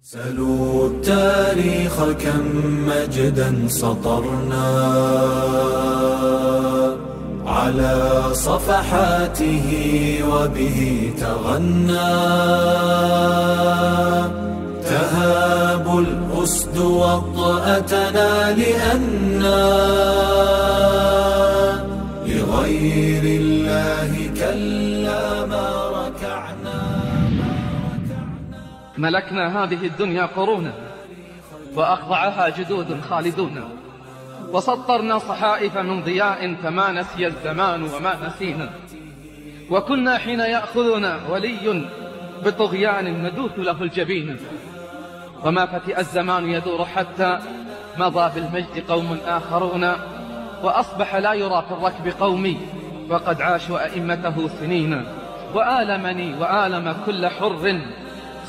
سلوا التاريخ كم مجدا سطرنا على صفحاته وبه تغنى تهاب الأسد وطأتنا لأنا لغير الله كلا ما ركعنا. ملكنا هذه الدنيا قرونا وأخضعها جدود خالدون، وسطرنا صحائف من ضياء فما نسي الزمان وما نسينا، وكنا حين يأخذنا ولي بطغيان ندوث له الجبين، وما فتئ الزمان يدور حتى مضى بالمجد قوم آخرون، وأصبح لا يرى في الركب قومي وقد عاشوا أئمته سنين. وآلمني وآلم كل حر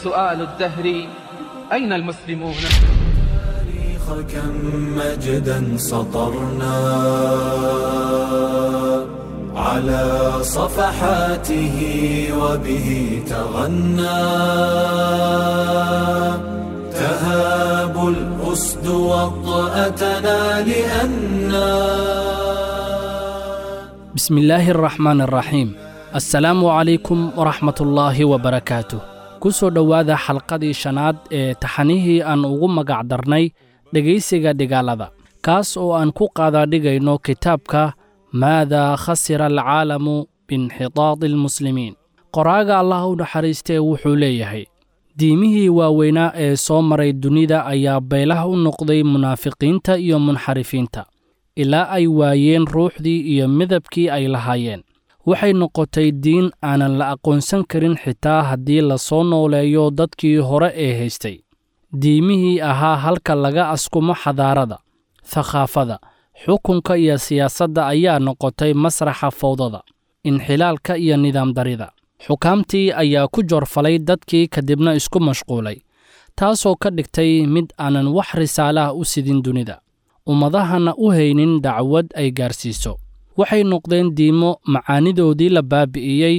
سؤال الدهر أين المسلمون؟ كم مجدا سطرنا على صفحاته وبه تغنى تهاب الأسد وطأتنا لأنا. بسم الله الرحمن الرحيم. السلام عليكم ورحمة الله وبركاته. Kusoo dhowaada xalqadii shanaad ee taxanihii aan ugu magac darnay dhegaysiga dhigaalada, kaas oo aan ku qaadaadhigayno kitaabka Maadaa khasira alcaalamu biinxitaadi almuslimiin. Qoraaga Allah u naxariistee wuxuu leeyahay: diimihii waaweynaa ee soo maray dunida ayaa beelaha u noqday munaafiqiinta iyo munxarifiinta, ilaa ay waayeen ruuxdii iyo midabkii ay lahaayeen. Waxay noqotay diin aanan la aqoonsan karin xitaa haddii la soo nooleeyo dadkii hore ee haystay. Diimihii ahaa halka laga askumo xadaarada, thaqaafada, xukunka iyo siyaasadda ayaa noqotay masraxa fowdada, inxilaalka iyo nidaam darida. Xukaamtii ayaa ku joorfalay dadkii kadibna isku mashquulay, taasoo ka dhigtay mid aanan wax risaalaha u sidin dunida, ummadahana u haynin dacwad ay gaarsiiso. Waxay noqdeen diimo macaanidoodii la baabi'iyey,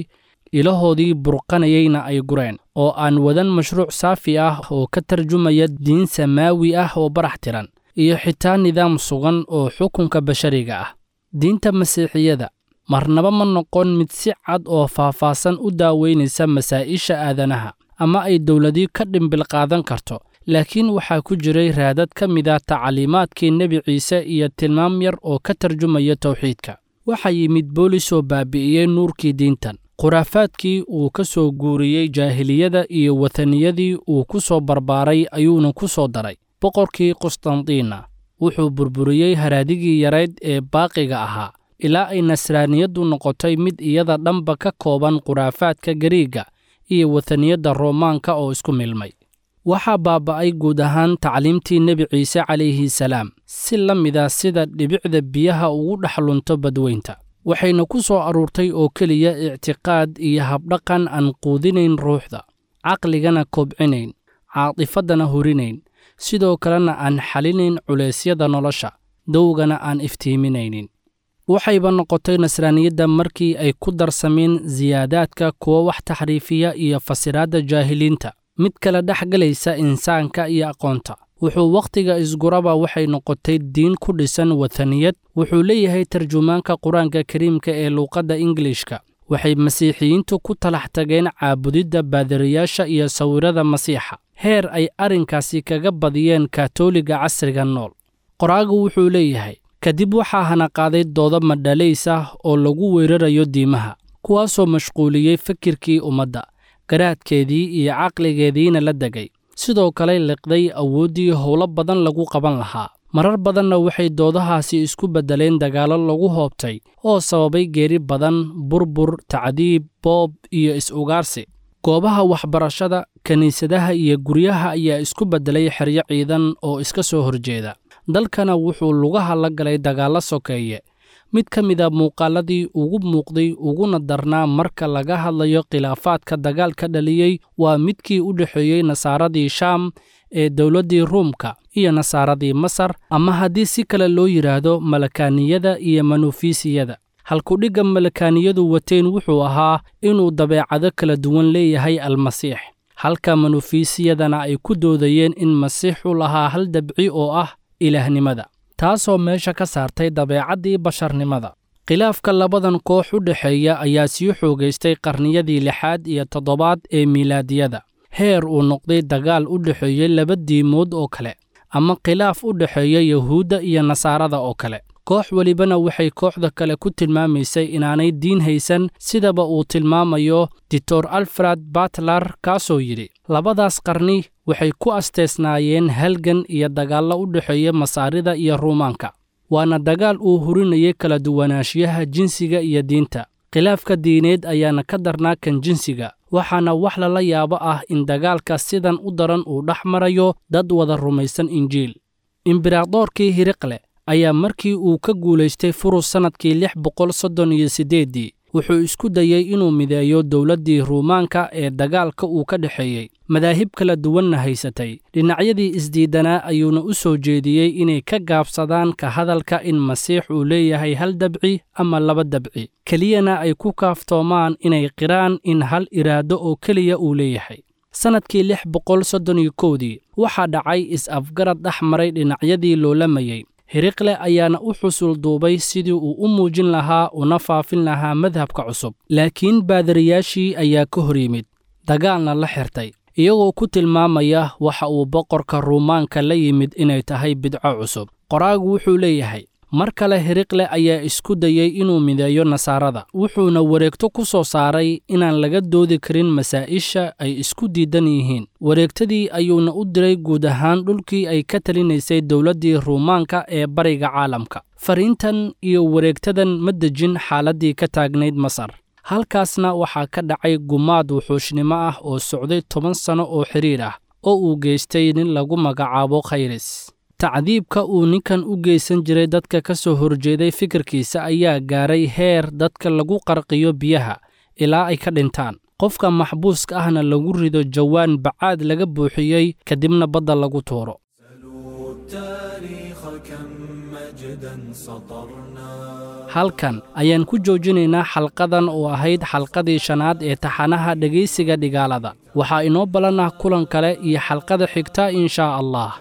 ilahoodii burqanayeyna ay gureen, oo aan wadan mashruuc saafi ah oo ka tarjumaya diin samaawi ah oo barax tiran, iyo xitaa nidaam sugan oo xukunka bashariga ah. Diinta Masiixiyada marnaba ma noqon mid si cad oo faahfaahsan u daaweynaysa masaa'isha aadanaha ama ay dowladii ka dhimbil qaadan karto, laakiin waxaa ku jiray raadad ka mid ah tacliimaadkii Nebi Ciise iyo tilmaam yar oo ka tarjumaya tawxiidka. Waxaa yimid boolis oo baabi'iyey nuurkii diintan, khuraafaadkii uu ka soo guuriyey jaahiliyada iyo wataniyadii uu ku soo barbaaray ayuuna ku soo daray. Boqorkii Qustantiina wuxuu burburiyey haraadigii yarayd ee baaqiga ahaa, ilaa ay nasraaniyaddu noqotay mid iyada dhanba ka kooban khuraafaadka Gariigga iyo wataniyadda Roomaanka oo isku milmay. Waxaa baaba'ay guud ahaan tacliimtii Nebi Ciise calayhi salaam, si la mida sida dhibicda biyaha ugu dhex lunto badweynta. Waxayna ku soo aruurtay oo keliya ictiqaad iyo habdhaqan aan quudinayn ruuxda, caqligana kobcinayn, caatifaddana hurinayn, sidoo kalena aan xalinayn culeysyada nolosha, dowgana aan iftiiminaynin. Waxayba noqotay nasraaniyadda markii ay ku darsameen siyaadaadka kuwa wax taxriifiya iyo fasiraadda jaahiliinta, mid kala dhex galaysa insaanka iyo aqoonta. Wuxuu wakhtiga isguraba waxay noqotay diin ku dhisan wataniyad. Wuxuu leeyahay tarjumaanka Qur-aanka Kariimka ee luuqadda Ingiliishka: waxay Masiixiyiintu ku talax tageen caabudidda baadiriyaasha iyo sawirada Masiixa, heer ay arrinkaasi kaga badiyeen Kaatooliga casriga nool. Qoraagu wuxuu leeyahay: kadib waxaa hanaqaaday doodo madhalays ah oo lagu weerarayo diimaha, kuwaasoo mashquuliyey fikirkii ummadda, garaadkeedii iyo caqligeediina la degay, sidoo kale liqday awooddii howlo badan lagu qaban lahaa. Marar badanna waxay doodahaasi isku beddeleen dagaallo lagu hoobtay oo sababay geeri badan, burbur, tacdiib, boob iyo is-ugaarsi. Goobaha waxbarashada, kiniisadaha iyo guryaha ayaa isku beddelay xeryo ciidan oo iska soo horjeeda. Dalkana wuxuu lugaha la galay dagaallo sokeeye. Mid ka mid a muuqaaladii ugu muuqday uguna darnaa marka laga hadlayo khilaafaadka dagaalka dhaliyey waa midkii u dhexeeyey nasaaradii Shaam ee dowladdii Ruumka iyo nasaaradii Masar, ama haddii si kale loo yidhaahdo Malakaaniyada iyo Manufiisiyada. Halkudhigga Malakaaniyadu wateen wuxuu ahaa inuu dabeecado kala duwan leeyahay Almasiix, Halka manufiisiyadana ay ku doodayeen in Masiixu lahaa hal dabci oo ah ilaahnimada, taasoo meesha ka saartay dabeecaddii basharnimada. Khilaafka labadan koox u dhexeeya ayaa sii xoogaystay qarniyadii lixaad iyo toddobaad ee miilaadiyada, heer uu noqday dagaal u dhexeeyey laba diimood oo kale, ama khilaaf u dhexeeya Yuhuudda iyo Nasaarada oo kale. Koox welibana waxay kooxda kale ku tilmaamaysay inaanay diin haysan, sidaba uu tilmaamayo Doctor Alfred Batler, kaasoo yidhi: labadaas qarni waxay ku asteesnaayeen halgan iyo dagaallo u dhexeeya Masaarida iyo Ruumaanka, waana dagaal uu hurinayay kala duwanaanshiyaha jinsiga iyo diinta. Khilaafka diineed ayaana ka darnaa kan jinsiga, waxaana wax lala yaabo ah in dagaalka sidan u daran uu dhex marayo dad wada rumaysan Injiil. Imberadoorkii Hiriqle ayaa markii uu ka guulaystay Furus sannadkii 638dii, wuxuu isku dayey inuu mideeyo dowladdii Ruumaanka ee dagaalka uu ka dhexeeyey, madaahib kala duwanna haysatay. Dhinacyadii isdiidanaa ayuuna u soo jeediyey inay ka gaabsadaan ka hadalka in Masiix uu leeyahay hal dabci ama laba dabci, keliyana ay ku kaaftoomaan inay qiraan in hal iraado oo keliya uu leeyahay. Sannadkii 631dii waxaa dhacay is-afgarad dhex maray dhinacyadii loolamayey. Hiriqle ayaana u xusul duubay sidii uu u muujin lahaa una faafin lahaa madhabka cusub, laakiin baadariyaashii ayaa ka hor yimid, dagaalna la xirtay, iyagoo ku tilmaamaya waxa uu boqorka Ruumaanka la yimid inay tahay bidco cusub. Qoraagu wuxuu leeyahay: mar kale Hiriqle ayaa isku dayey inuu mideeyo Nasaarada, wuxuuna wareegto ku soo saaray inaan laga doodi karin masaa'isha ay isku diidan yihiin. Wareegtadii ayuuna u diray guud ahaan dhulkii ay ka talinaysay dowladdii Ruumaanka ee bariga caalamka. Fariintan iyo wareegtadan ma dejin xaaladdii ka taagnayd Masar. Halkaasna waxaa ka dhacay gumaad wuxuushnimo ah oo socday 10 sano oo xidhiir ah, oo uu geystay nin lagu magacaabo Khayris. Tacdiibka uu ninkan u geysan jiray dadka ka soo horjeeday fikirkiisa ayaa gaaray heer dadka lagu qarqiyo biyaha ilaa ay ka dhintaan, qofka maxbuuska ahna lagu rido jawaan bacaad laga buuxiyey, kadibna badda lagu tuuro. Halkan ayaan ku joojinaynaa xalqadan oo ahayd xalqadii shanaad ee taxanaha dhegaysiga dhigaalada. Waxaa inoo ballan ah kulan kale iyo xalqada xigta inshaa Allah.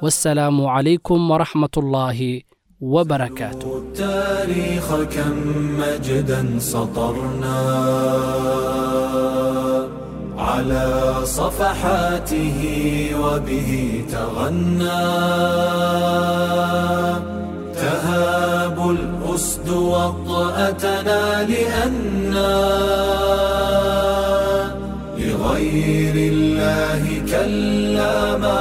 والسلام عليكم ورحمة الله وبركاته. التاريخ كم مجدا سطرنا على صفحاته وبه تغنى، تهاب الأسد وطأتنا لأنا لغير الله كلا ما